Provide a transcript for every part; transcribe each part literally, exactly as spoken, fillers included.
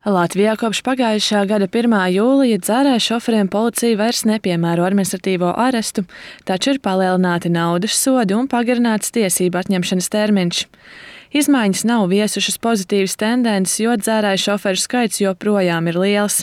Latvijā kopš pagājušā gada pirmā jūlija dzērāju šoferiem policija vairs nepiemēro administratīvo arestu, taču ir palielināti naudas sodi un pagarināts tiesību atņemšanas termiņš. Izmaiņas nav viesušas pozitīvas tendences, jo dzērāju šoferu skaits joprojām ir liels.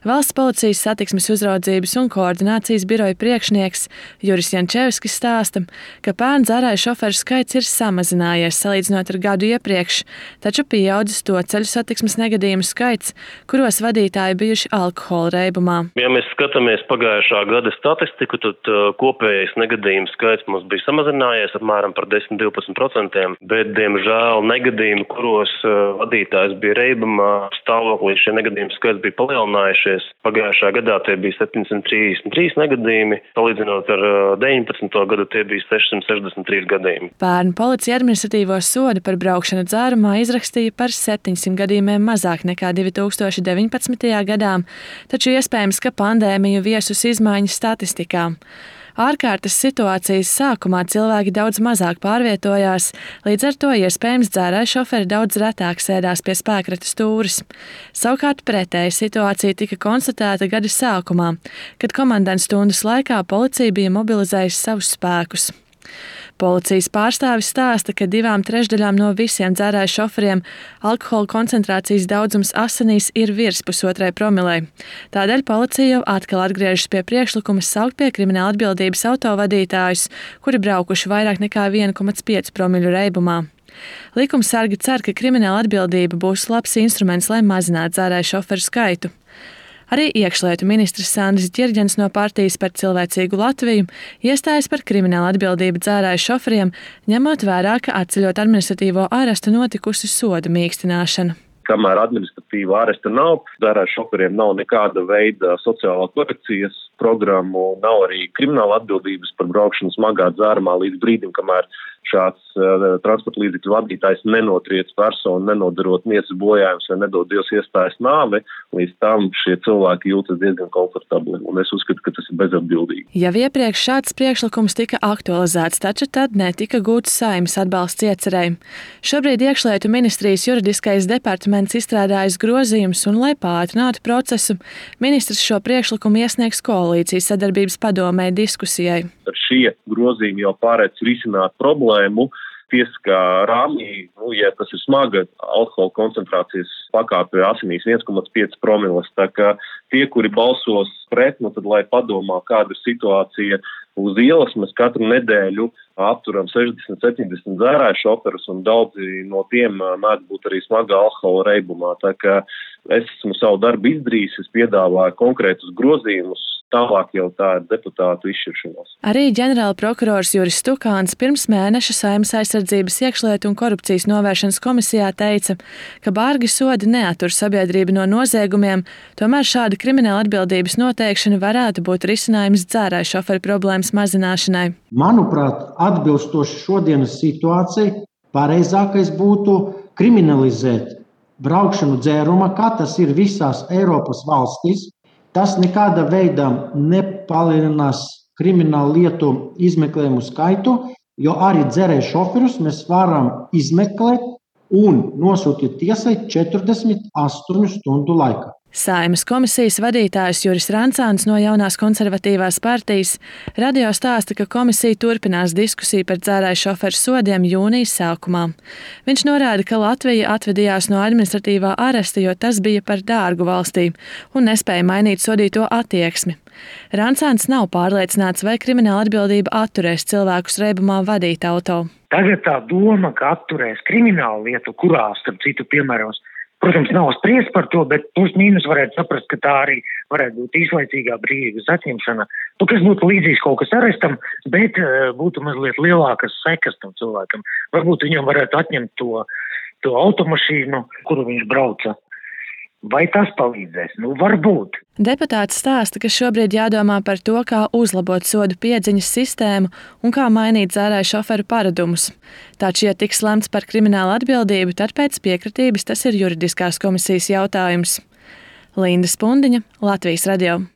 Valsts policijas satiksmes uzraudzības un koordinācijas biroja priekšnieks Juris Jančevskis stāsta, ka pērn dzērāju šoferu skaits ir samazinājies salīdzinot ar gadu iepriekš, taču pieaudzis to ceļu satiksmes negadījumu skaits, kuros vadītāji bijuši alkohola reibumā. Ja mēs skatāmies pagājušā gada statistiku, tad uh, kopējais negadījumu skaits mums bija samazinājies apmēram par desmit līdz divpadsmit procentiem, bet, diemžēl, negadījumi, kuros uh, vadītājs bija reibumā, stāvoklī šie negadījumi skaits bija palielinājušies. Pagājušā gadā tie bija septiņsimt trīsdesmit trīs negadījumi, salīdzinot ar uh, deviņpadsmito gadu tie bija sešsimt sešdesmit trīs gadījumi. Pērn policija administratīvo sodu par braukšanu dzērumā izrakstīja par septiņsimt gadījumiem mazāk nekā divi tūkstoši deviņpadsmitajā gadā, taču iespējams, ka pandēmija viesus izmaiņas statistikā. Ārkārtas situācijas sākumā cilvēki daudz mazāk pārvietojās, līdz ar to iespējams dzērāju šoferi daudz retāk sēdās pie spēkrates stūres. Savukārt pretēja situācija tika konstatēta gada sākumā, kad komandantu stundas laikā policija bija mobilizējusi savus spēkus. Policijas pārstāvis stāsta, ka divām trešdaļām no visiem dzērāju šoferiem alkohola koncentrācijas daudzums asinīs ir virs pusotrai promilei. Tādēļ policija jau atkal atgriežas pie priekšlikuma saukt pie krimināla atbildības autovadītājus, kuri braukuši vairāk nekā viena komats pieci promiļu reibumā. Likumsargi cer, ka krimināla atbildība būs labs instruments, lai mazinātu dzērāju šoferu skaitu. Arī iekšlietu ministrs Sandris Ģirģens no partijas Par cilvēcīgu Latviju iestājas par kriminālu atbildību dzērāju šoferiem, ņemot vērā, ka atceļot administratīvo arestu notikusi sodu mīkstināšana. Kamēr administratīva aresta nav, dzērāju šoferiem nav nekāda veida sociālā korekcijas programmu, nav arī krimināla atbildības par braukšanu smagā dzērumā līdz brīdim, kamēr šāds uh, transporta līdzekļu vadītājs nenotriec personu, nenodarot miesas bojājumus vai nedod Dievs iestājas nāvi, līdz tam šie cilvēki jūtas diezgan komfortabli, un es uzskatu, ka tas ir bezatbildīgi. Jau iepriekš šāds priekšlikums tika aktualizēts, taču tad netika gūts Saeimas atbalsts iecerēji. Šobrīd iekšlietu ministrijas juridiskais departaments izstrādājas grozījumus, un, lai pātrinātu procesu, ministrs šo priekšlikumu iesniegs koalīcijas sadarbības padomē diskusijai. Ar šie grozījumi jau pārēc risināt problēmu tiesiskā rāmī, nu, ja tas ir smaga alkohola koncentrācijas pakāpe asinīs viens komats pieci promiles, tā kā tie, kuri balsos pret, nu tad lai padomā, kāda ir situācija uz ielas, mēs katru nedēļu apturam sešdesmit septiņdesmit dzērāju šoferus, un daudzi no tiem mēdz būt arī smagā alkohola reibumā, tā kā es esmu savu darbu izdarījis, es piedāvāju konkrētus grozījumus, tālāk jau tā ir deputātu izšķiršanās. Arī ģenerāla prokurors Juris Stukāns pirms mēneša Saeimas aizsardzības iekšlietu un korupcijas novēršanas komisijā teica, ka bargi sodi neatur sabiedrību no noziegumiem, tomēr šāda krimināla atbildības noteikšana varētu būt risinājums dzērāju šoferu problēmas mazināšanai. Manuprāt, atbilstoši šodienas situācijai, pareizākais būtu kriminalizēt braukšanu dzērumā, kā tas ir visās Eiropas valstīs. Tas nekādā veidā nepalielinās kriminālu lietu izmeklējumu skaitu, jo arī dzērēju šoferus mēs varam izmeklēt un nosūtīt tiesai četrdesmit astoņu stundu laikā. Saeimas komisijas vadītājs Juris Rancāns no Jaunās konservatīvās partijas radio stāsta, ka komisija turpinās diskusiju par dzērāju šoferu sodiem jūnijas sākumā. Viņš norāda, ka Latvija atvedījās no administratīvā aresta, jo tas bija par dārgu valstī un nespēja mainīt sodīto attieksmi. Rancāns nav pārliecināts, vai krimināla atbildība atturēs cilvēkus reibumā vadīt auto. Tagad tā doma, ka atturēs kriminālu lietu, kurā, starp citu, piemēros, protams, nav spriest par to, bet plus mīnus varētu saprast, ka tā arī varētu būt īslaicīgā brīvības atņemšana. Nu, kas būtu līdzīgs kaut kas arestam, bet uh, būtu mazliet lielākas sekas tam cilvēkam. Varbūt viņam varētu atņemt to, to automašīnu, kuru viņš brauca. Vai tas palīdzēs? Nu, varbūt. Deputāts stāsta, ka šobrīd jādomā par to, kā uzlabot sodu piedziņas sistēmu un kā mainīt dzērāju šoferu paradumus. Taču, ja tiks lemts par kriminālu atbildību, tad pēc piekritības tas ir juridiskās komisijas jautājums. Linda Spundiņa, Latvijas radio.